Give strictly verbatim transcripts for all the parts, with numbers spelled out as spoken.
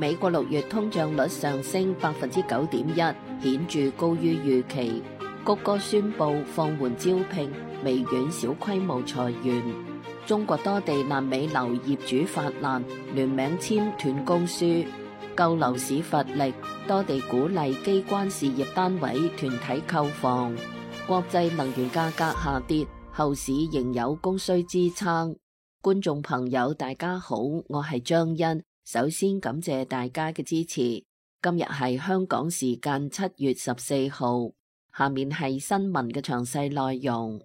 美國六月通脹率上升百分之九點一，顯著高於預期。谷歌宣布放緩招聘，微軟小規模裁員。中國多地爛尾樓業主發難，聯名簽斷供書。救樓市乏力，多地鼓勵機關事業單位團體購房。國際能源價格下跌，後市仍有供需支撐。觀眾朋友大家好，我係張欣。首先感謝大家嘅支持。今日係香港時間七月十四號，下面係新聞嘅詳細內容。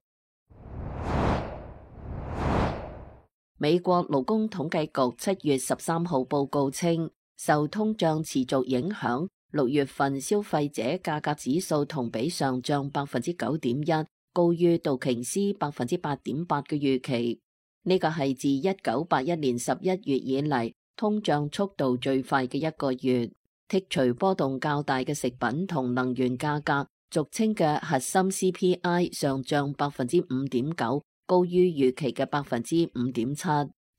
美國勞工統計局七月十三號報告稱，受通脹持續影響，六月份消費者價格指數同比上漲百分之九點一，高於道瓊斯百分之八點八嘅預期。呢個係自一九八一年十一月以嚟，通脹速度最快嘅一個月。剔除波動較大嘅食品同能源價格，俗稱嘅核心 C P I 上漲百分之五點九，高於預期嘅百分之五點七。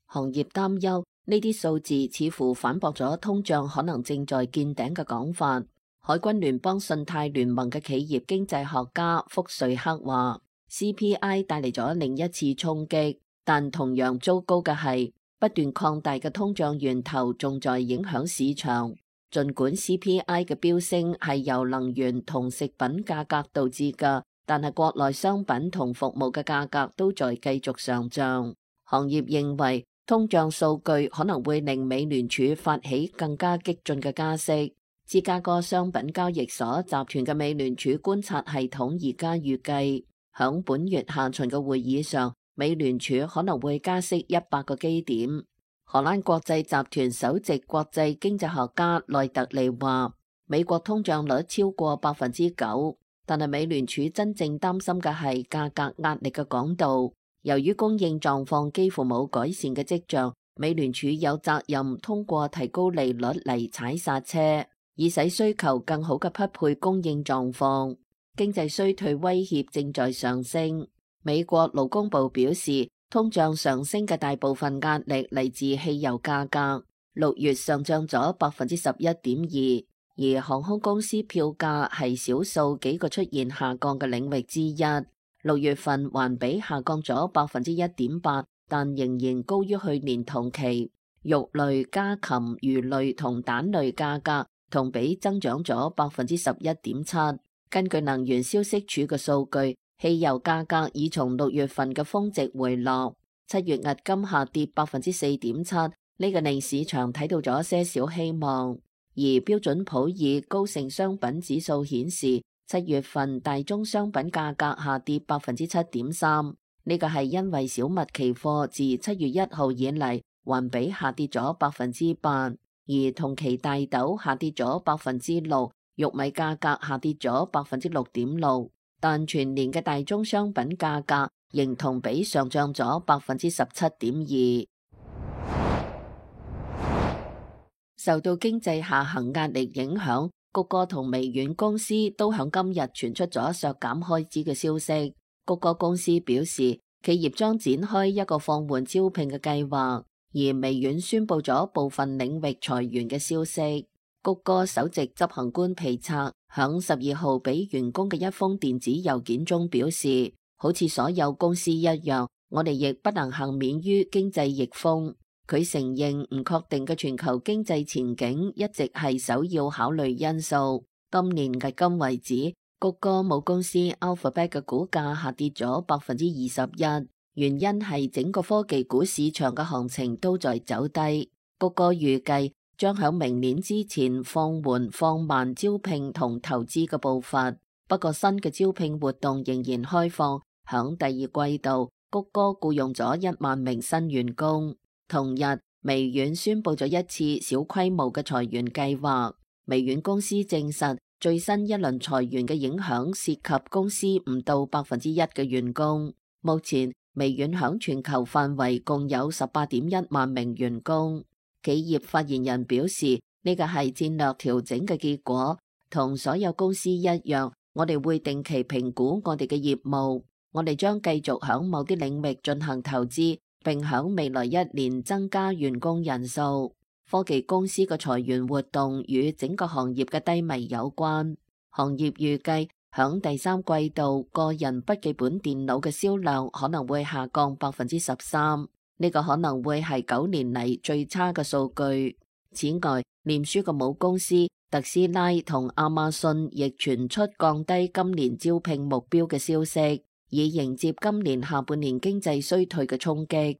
行業擔憂呢啲數字似乎反駁咗通脹可能正在見頂嘅講法。海軍聯邦信貸聯盟嘅企業經濟學家福瑞克話 ：C P I 帶嚟咗另一次衝擊，但同樣糟糕嘅係，不斷擴大嘅通脹源頭仲在影響市場。儘管 C P I 嘅飆升係由能源同食品價格導致嘅，但係國內商品同服務嘅價格都在繼續上漲。行業認為通脹數據可能會令美聯儲發起更加激進嘅加息。芝加哥商品交易所集團嘅美聯儲觀察系統而家預計，響本月下旬嘅會議上，美聯儲可能會加息一百個基點。荷蘭國際集團首席國際經濟學家內特利話，美國通脹率超過百分之九，但係美聯儲真正擔心嘅係價格壓力嘅廣度。由於供應狀況幾乎冇改善嘅跡象，美聯儲有責任通過提高利率嚟踩剎車，以使需求更好嘅匹配供應狀況。經濟衰退威脅正在上升。美國勞工部表示，通脹上升嘅大部分壓力嚟自汽油價格，六月上漲咗百分之十一點二，而航空公司票價係少數幾個出現下降嘅領域之一。六月份環比下降咗百分之一點八，但仍然高於去年同期。肉類、家禽、魚類同蛋類價格同比增長咗百分之十一點七。根據能源消息署嘅數據，汽油價格已從六月份嘅峰值回落。七月押金下跌百分之四點七，呢個令市場睇到咗些少希望。而標準普爾高盛商品指數顯示，七月份大宗商品價格下跌百分之七點三，呢個係因為小麥期貨自七月一號以嚟環比下跌咗百分之八，而同期大豆下跌咗百分之六，玉米價格下跌咗百分之六點六，但全年嘅大宗商品價格仍同比上漲咗百分之十七點二。受到經濟下行壓力影響，谷歌同微軟公司都響今日傳出咗削減開支嘅消息。谷歌公司表示，企業將展開一個放緩招聘嘅計劃，而微軟宣布咗部分領域裁員嘅消息。谷歌首席執行官皮策響十二號俾員工嘅一封電子郵件中表示，好似所有公司一樣，我哋亦不能幸免於經濟逆風。佢承認唔確定嘅全球經濟前景一直係首要考慮因素。今年至今為止，谷歌母公司 Alphabet 嘅股價下跌咗百分之二十一，原因係整個科技股市場嘅行情都在走低。谷歌預計將喺明年之前放緩放慢招聘同投資嘅步伐，不過新嘅招聘活動仍然開放。響第二季度，谷歌僱用咗一萬名新員工。同日，微軟宣布咗一次小規模嘅裁員計劃。微軟公司證實，最新一輪裁員嘅影響涉及公司唔到百分之一嘅員工。目前，微軟響全球範圍共有十八點一萬名員工。企業發言人表示，呢個係戰略調整嘅結果，同所有公司一樣，我哋會定期評估我哋嘅業務，我哋將繼續響某啲領域進行投資，並響未來一年增加員工人數。科技公司嘅裁員活動與整個行業嘅低迷有關。行業預計響第三季度個人筆記本電腦嘅銷量可能會下降百分之十三，呢個可能會係九年嚟最差嘅數據。此外，臉書嘅母公司特斯拉同亞馬遜亦傳出降低今年招聘目標嘅消息，以迎接今年下半年經濟衰退嘅衝擊。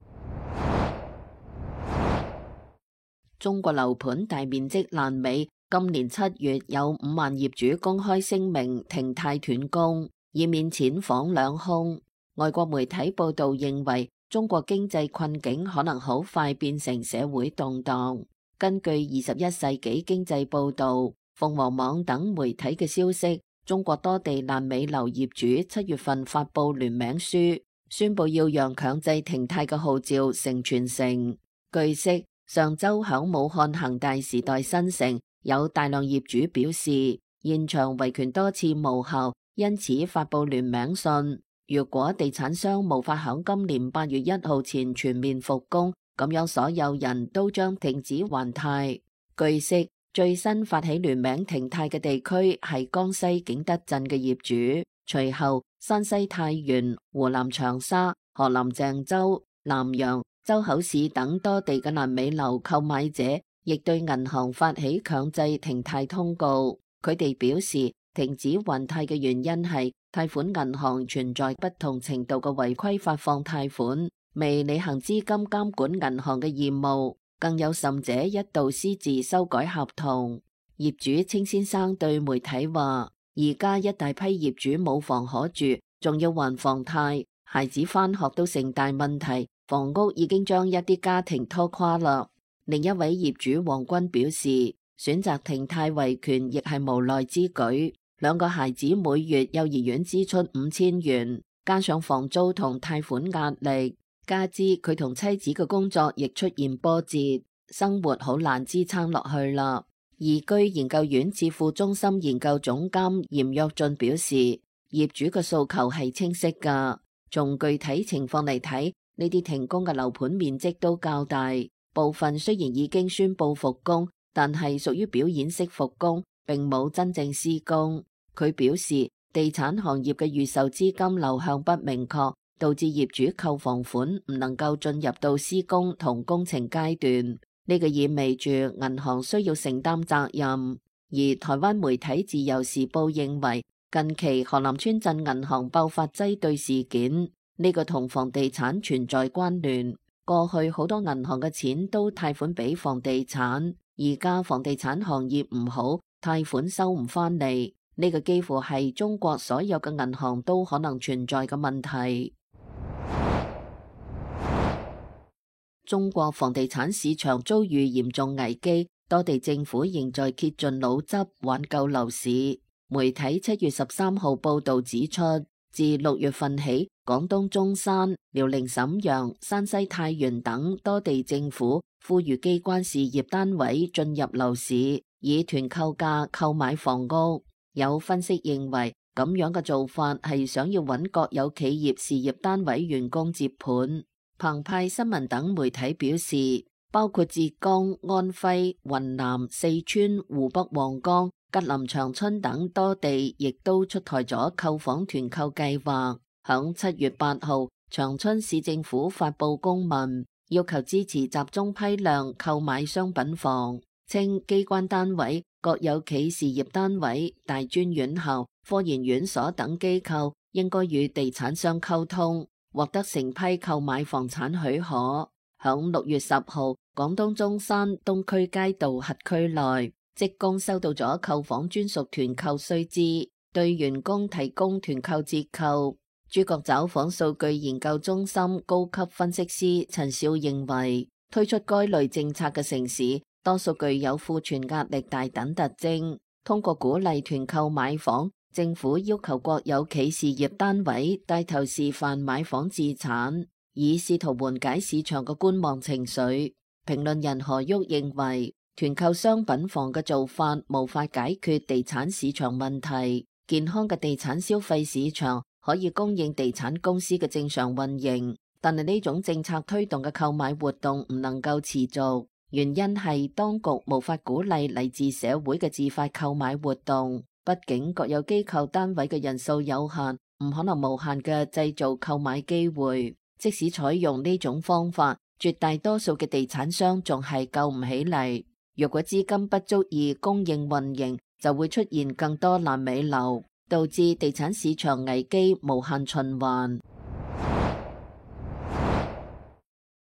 中國樓盤大面積爛尾，今年七月有五萬業主公開聲明停貸斷供，以免錢房兩空。外國媒體報道認為，中國經濟困境可能好快變成社會動盪。根據二十一世紀經濟報道、鳳凰網等媒體嘅消息，中國多地爛尾樓業主七月份發布聯名書，宣布要讓強制停貸嘅號召成全城。據悉，上周響武漢恒大時代新城有大量業主表示，現場維權多次無效，因此發布聯名信。如果地產商無法響今年八月一號前全面復工，咁樣所有人都將停止還貸。據悉，最新發起聯名停貸嘅地區係江西景德鎮嘅業主，隨後山西太原、湖南長沙、河南鄭州、南陽、周口市等多地嘅爛尾樓購買者亦對銀行發起強制停貸通告。佢哋表示，停止還貸嘅原因係貸款銀行存在不同程度嘅違規發放貸款，未履行資金監管銀行嘅義務，更有甚者一度私自修改合同。業主清先生對媒體話，而家一大批業主冇房可住，仲要還房貸，孩子返學都成大問題，房屋已經將一啲家庭拖垮啦。另一位業主黃軍表示，選擇停貸維權亦係無奈之舉，兩個孩子每月幼兒園支出五千元，加上房租同貸款壓力，加之佢同妻子嘅工作亦出現波折，生活好難支撐落去啦。易居研究院智庫中心研究總監嚴躍進表示，業主嘅訴求係清晰㗎，從具體情況嚟睇，呢啲停工嘅樓盤面積都較大，部分雖然已經宣布復工，但係屬於表演式復工，並冇真正施工。佢表示，地產行業嘅預售資金流向不明確，導致業主購房款唔能夠進入到施工同工程階段。呢個意味住銀行需要承擔責任。而台灣媒體自由時報認為，近期河南村鎮銀行爆發擠兌事件，呢個同房地產存在關聯。過去好多銀行嘅錢都貸款俾房地產，而家房地產行業唔好，貸款收唔返嚟。呢個幾乎係中國所有嘅銀行都可能存在嘅問題。中國房地產市場遭遇嚴重危機，多地政府仍在竭盡腦汁挽救樓市。媒體七月十三號報道指出，自六月份起，廣東中山、遼寧瀋陽、山西太原等多地政府呼籲機關事業單位進入樓市，以團購價購買房屋。有分析認為，咁樣嘅做法係想要揾國有企業事業單位員工接盤。澎湃新聞等媒體表示，包括浙江、安徽、雲南、四川、湖北黃岡、吉林長春等多地亦都出台咗購房團購計劃。響七月八號，長春市政府發布公文，要求支持集中批量購買商品房，稱機關單位、國有企事業單位、大專院校、科研院所等機構應該與地產商溝通，獲得成批購買房產許可。響六月十號，廣東中山東區街道轄區內，職工收到咗購房專屬團購須知，對員工提供團購折扣。諸國找房數據研究中心高級分析師陳少認為，推出該類政策嘅城市，多數具有庫存壓力大等特徵。通過鼓勵團購買房，政府要求國有企事業單位帶頭示範買房置產，以試圖緩解市場嘅觀望情緒。評論人何旭認為，團購商品房嘅做法無法解決地產市場問題。健康嘅地產消費市場可以供應地產公司嘅正常運營，但係呢種政策推動嘅購買活動唔能夠持續。原因係當局無法鼓勵嚟自社會嘅自發購買活動，畢竟國有機構單位嘅人數有限，唔可能無限嘅製造購買機會。即使採用呢種方法，絕大多數嘅地產商仲係救唔起嚟。若果資金不足以供應運營，就會出現更多爛尾樓，導致地產市場危機無限循環。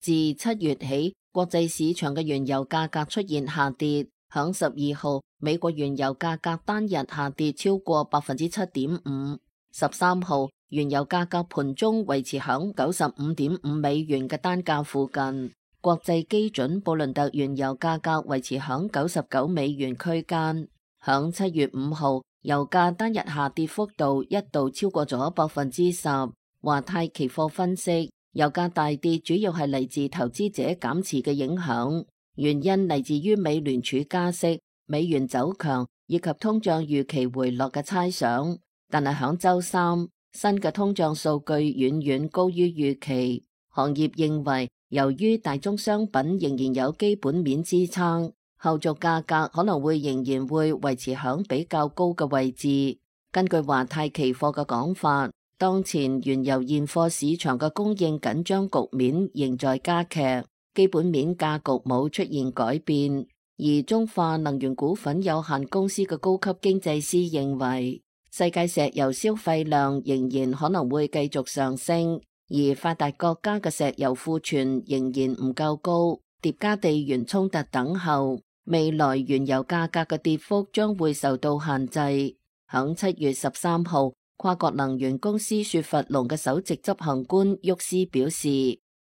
自七月起，國際市場嘅原油價格出現下跌。響十二號，美國原油價格單日下跌超過百分之七點五。十三號，原油價格盤中維持響九十五點五美元嘅單價附近。國際基準布倫特原油價格維持響九十九美元區間。響七月五號，油價單日下跌幅度一度超過咗百分之十。華泰期貨分析，油價大跌主要係嚟自投資者減持嘅影響，原因嚟自於美聯儲加息、美元走強以及通脹預期回落嘅猜想。但係響周三，新嘅通脹數據遠遠高於預期。行業認為，由於大宗商品仍然有基本面支撐，後續價格可能會仍然會維持響比較高嘅位置。根據華泰期貨嘅講法，當前原油現貨市場嘅供應緊張局面仍在加劇，基本面格局冇出現改變。而中化能源股份有限公司嘅高級經濟師認為，世界石油消費量仍然可能會繼續上升，而發達國家嘅石油庫存仍然唔夠高，疊加地緣衝突等候，未來原油價格嘅跌幅將會受到限制。響七月十三號，跨國能源公司雪佛龍嘅首席執行官沃斯表示，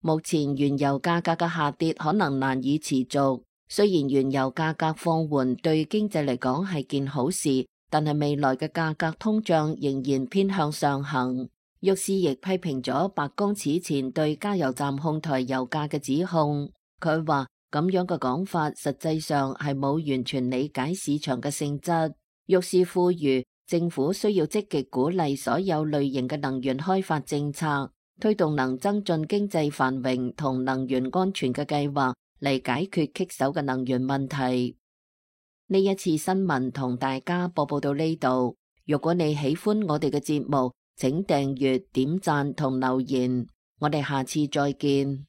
目前原油價格嘅下跌可能難以持續。雖然原油價格放緩對經濟嚟講係件好事，但係未來嘅價格通脹仍然偏向上行。沃斯亦批評咗白宮此前對加油站控台油價嘅指控。佢話咁樣嘅講法實際上係冇完全理解市場嘅性質。沃斯呼籲政府需要積極鼓勵所有類型嘅能源開發政策，推動能增進經濟繁榮同能源安全嘅計劃嚟解決棘手嘅能源問題。呢一次新聞同大家播報到呢度。如果你喜歡我哋嘅節目，請訂閱、點讚同留言。我哋下次再見。